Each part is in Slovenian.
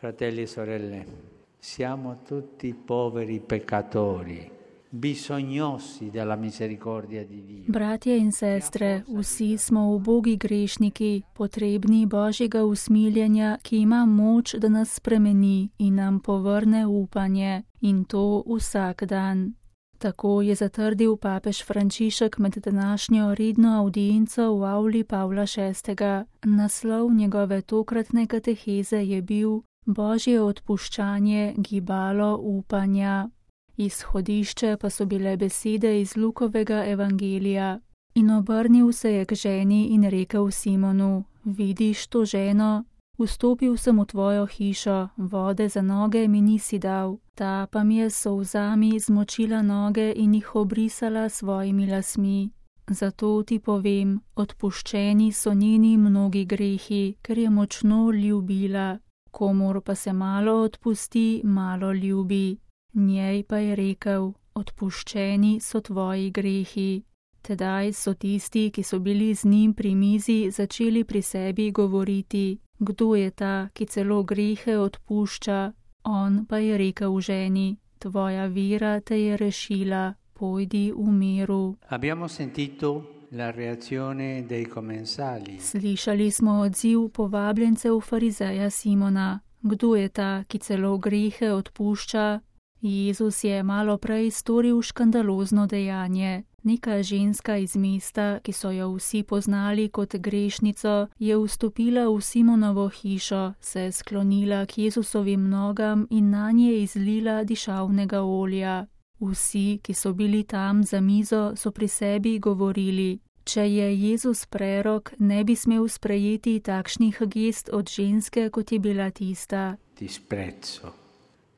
Fratelli e sorelle, siamo tutti poveri peccatori, bisognosi della misericordia di Dio. Bratje in sestre, vsi smo ubogi grešniki, potrebni Božjega usmiljenja, ki ima moč, da nas spremeni in nam povrne upanje, in to vsak dan. Tako je zatrdil papež Frančišek med današnjo redno avdienco v avli Pavla VI. Naslov njegove tokratne kateheze je bil Božje odpuščanje, gibalo upanja. Izhodišče pa so bile besede iz Lukovega evangelija. In obrnil se je k ženi in rekel Simonu: Vidiš to ženo? Vstopil sem v tvojo hišo, vode za noge mi nisi dal, ta pa mi je s solzami zmočila noge in jih obrisala s svojimi lasmi. Zato ti povem, odpuščeni so njeni mnogi grehi, ker je močno ljubila. Komur pa se malo odpusti, malo ljubi. Njej pa je rekel: odpuščeni so tvoji grehi. Tedaj so tisti, ki so bili z njim pri mizi, začeli pri sebi govoriti: kdo je ta, ki celo grehe odpušča? On pa je rekel ženi: tvoja vera te je rešila, pojdi v miru. Abbiamo sentito la reazione dei commensali. Slišali smo odziv povabljencev farizeja Simona: kdo je ta, ki celo grehe odpušča? Jezus je malo prej storil škandalozno dejanje. Neka ženska iz mesta, ki so jo vsi poznali kot grešnico, je vstopila v Simonovo hišo, se sklonila k Jezusovim nogam in nanje izlila dišavnega olja. Vsi, ki so bili tam za mizo, so pri sebi govorili: če je Jezus prerok, ne bi smel sprejeti takšnih gest od ženske, kot je bila tista. Disprezzo.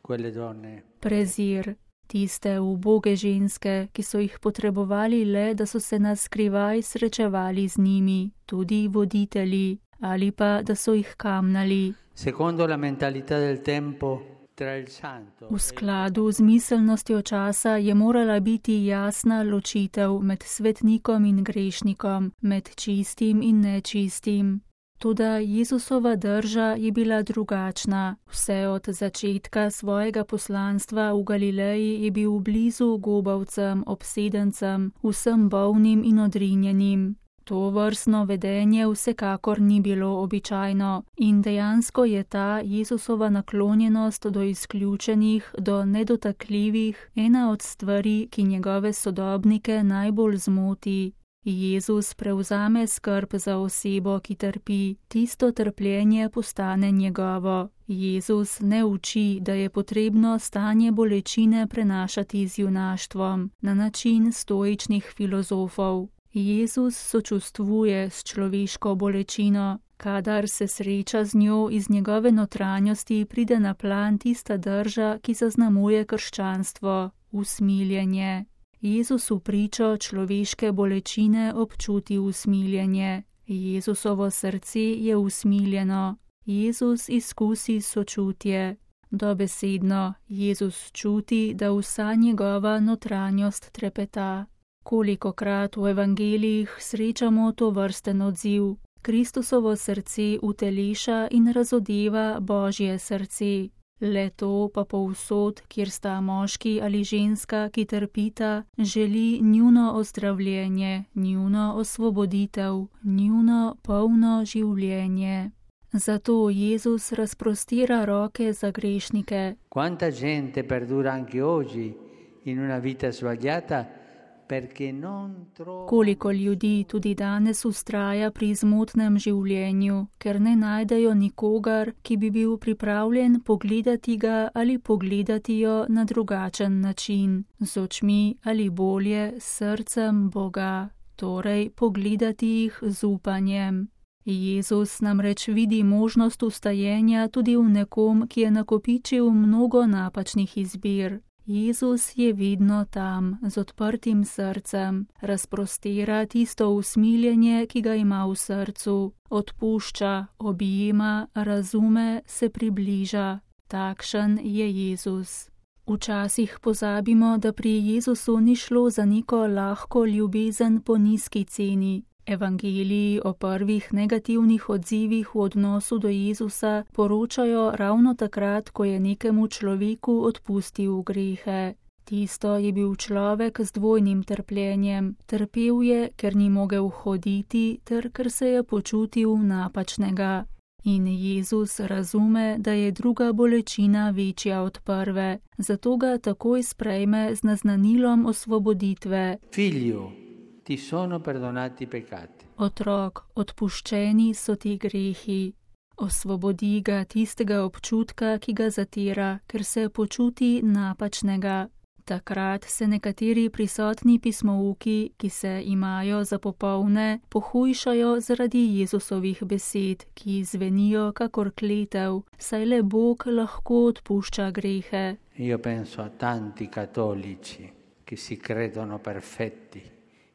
Quelle donne. Prezir. Tiste uboge ženske, ki so jih potrebovali le, da so se na skrivaj srečevali z njimi, tudi voditelji, ali pa da so jih kamnali. Secondo la mentalità del tempo, tra il santo. V skladu z miselnostjo časa je morala biti jasna ločitev med svetnikom in grešnikom, med čistim in nečistim. Toda Jezusova drža je bila drugačna. Vse od začetka svojega poslanstva v Galileji je bil blizu gobavcem, obsedencem, vsem bolnim in odrinjenim. To vrstno vedenje vsekakor ni bilo običajno in dejansko je ta Jezusova naklonjenost do izključenih, do nedotakljivih, ena od stvari, ki njegove sodobnike najbolj zmoti. Jezus prevzame skrb za osebo, ki trpi, tisto trpljenje postane njegovo. Jezus ne uči, da je potrebno stanje bolečine prenašati z junaštvom, na način stoičnih filozofov. Jezus sočustvuje s človeško bolečino. Kadar se sreča z njo, iz njegove notranjosti pride na plan tista drža, ki zaznamuje krščanstvo, usmiljenje. Jezus v pričo človeške bolečine občuti usmiljenje. Jezusovo srce je usmiljeno. Jezus izkusi sočutje. Dobesedno, Jezus čuti, da vsa njegova notranjost trepeta. Kolikokrat v evangelijih srečamo to vrsten odziv. Kristusovo srce uteleša in razodeva Božje srce. Le to pa povsod, kjer sta moški ali ženska, ki trpita, želi njuno ozdravljenje, njuno osvoboditev, njuno polno življenje. Zato Jezus razprostira roke za grešnike. Quanta gente perdura anche oggi in una vita sbagliata perché non trova. Koliko ljudi tudi danes vztraja pri zmotnem življenju, ker ne najdejo nikogar, ki bi bil pripravljen pogledati ga ali pogledati jo na drugačen način, z očmi ali bolje s srcem Boga, torej pogledati jih z upanjem. Jezus namreč vidi možnost vstajenja tudi v nekom, ki je nakopičil mnogo napačnih izbir. Jezus je vedno tam, z odprtim srcem, razprostira tisto usmiljenje, ki ga ima v srcu, odpušča, objema, razume, se približa. Takšen je Jezus. Včasih pozabimo, da pri Jezusu ni šlo za neko lahko ljubezen po nizki ceni. Evangeliji o prvih negativnih odzivih v odnosu do Jezusa poročajo ravno takrat, ko je nekemu človeku odpustil grehe. Tisto je bil človek z dvojnim trpljenjem. Trpel je, ker ni mogel hoditi, ter ker se je počutil napačnega. In Jezus razume, da je druga bolečina večja od prve, zato ga takoj sprejme z naznanilom osvoboditve. Figlio, ti sono perdonati i peccati. Otrok, odpuščeni so ti grehi. Osvobodi ga tistega občutka, ki ga zatira, ker se počuti napačnega. Takrat se nekateri prisotni pismouki, ki se imajo za popolne, pohujšajo zaradi Jezusovih besed, ki zvenijo kakor kletev, saj le Bog lahko odpušča grehe. Io penso a tanti cattolici che si credono perfetti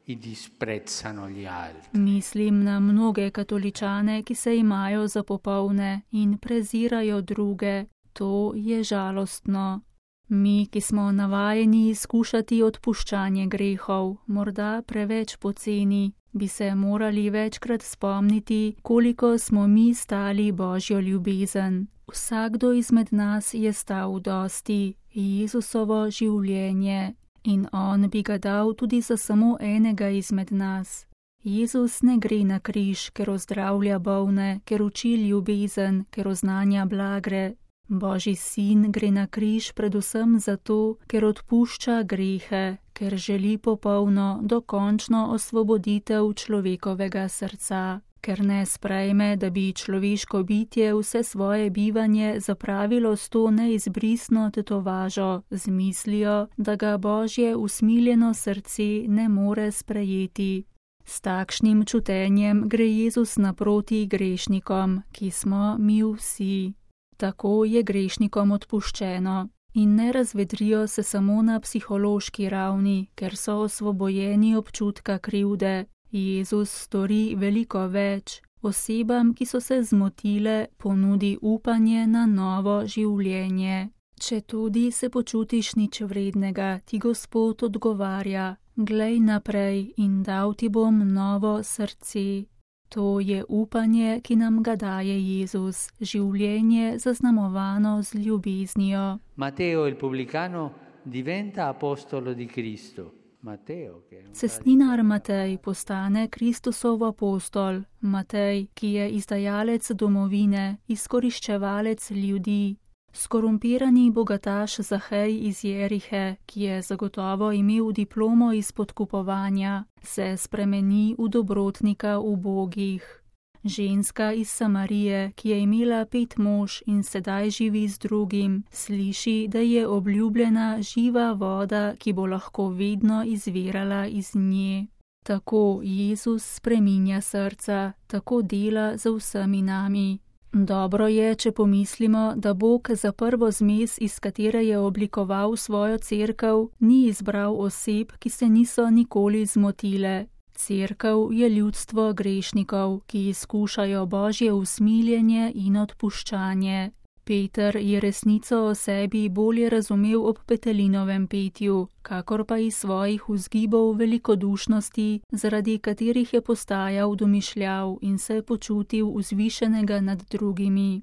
e disprezzano gli altri. Mislim na mnoge katoličane, ki se imajo za popolne in prezirajo druge. To je žalostno. Mi, ki smo navajeni izkušati odpuščanje grehov, morda preveč poceni, bi se morali večkrat spomniti, koliko smo mi stali Božjo ljubezen. Vsakdo izmed nas je stal dosti, Jezusovo življenje, in on bi ga dal tudi za samo enega izmed nas. Jezus ne gre na križ, ker ozdravlja bolne, ker uči ljubezen, ker oznanja blagre. Božji sin gre na križ predvsem zato, ker odpušča grehe, ker želi popolno, dokončno osvoboditev človekovega srca, ker ne sprejme, da bi človeško bitje vse svoje bivanje zapravilo s to neizbrisno tetovažo, z mislijo, da ga Božje usmiljeno srce ne more sprejeti. S takšnim čutenjem gre Jezus naproti grešnikom, ki smo mi vsi. Tako je grešnikom odpuščeno in ne razvedrijo se samo na psihološki ravni, ker so osvobojeni občutka krivde. Jezus stori veliko več. Osebam, ki so se zmotile, ponudi upanje na novo življenje. Četudi se počutiš nič vrednega, ti Gospod odgovarja: glej naprej in dal ti bom novo srce. To je upanje, ki nam ga daje Jezus, življenje zaznamovano z ljubeznijo. Matteo il pubblicano diventa apostolo di Cristo. Cestninar Matej postane Kristusov apostol. Matej, ki je izdajalec domovine, izkoriščevalec ljudi. Skorumpirani bogataš Zahej iz Jerihe, ki je zagotovo imel diplomo iz podkupovanja, se spremeni v dobrotnika ubogih. Ženska iz Samarije, ki je imela 5 mož in sedaj živi z drugim, sliši, da je obljubljena živa voda, ki bo lahko vedno izvirala iz nje. Tako Jezus spreminja srca, tako dela za vsemi nami. Dobro je, če pomislimo, da Bog za prvo zmes, iz katere je oblikoval svojo cerkev, ni izbral oseb, ki se niso nikoli zmotile. Cerkev je ljudstvo grešnikov, ki izkušajo Božje usmiljenje in odpuščanje. Peter je resnico o sebi bolje razumel ob Petelinovem petju, kakor pa iz svojih vzgibov velikodušnosti, zaradi katerih je postajal domišljav in se počutil vzvišenega nad drugimi.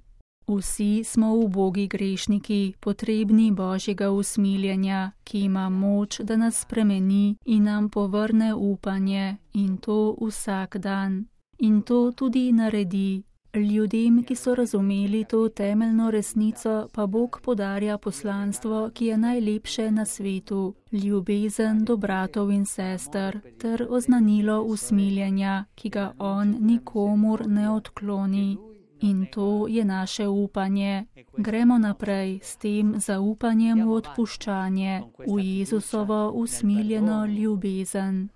Vsi smo ubogi grešniki, potrebni Božjega usmiljenja, ki ima moč, da nas spremeni in nam povrne upanje, in to vsak dan. In to tudi naredi. Ljudem, ki so razumeli to temeljno resnico, pa Bog podarja poslanstvo, ki je najlepše na svetu, ljubezen do bratov in sester, ter oznanilo usmiljenja, ki ga on nikomur ne odkloni. In to je naše upanje. Gremo naprej s tem zaupanjem v odpuščanje, v Jezusovo usmiljeno ljubezen.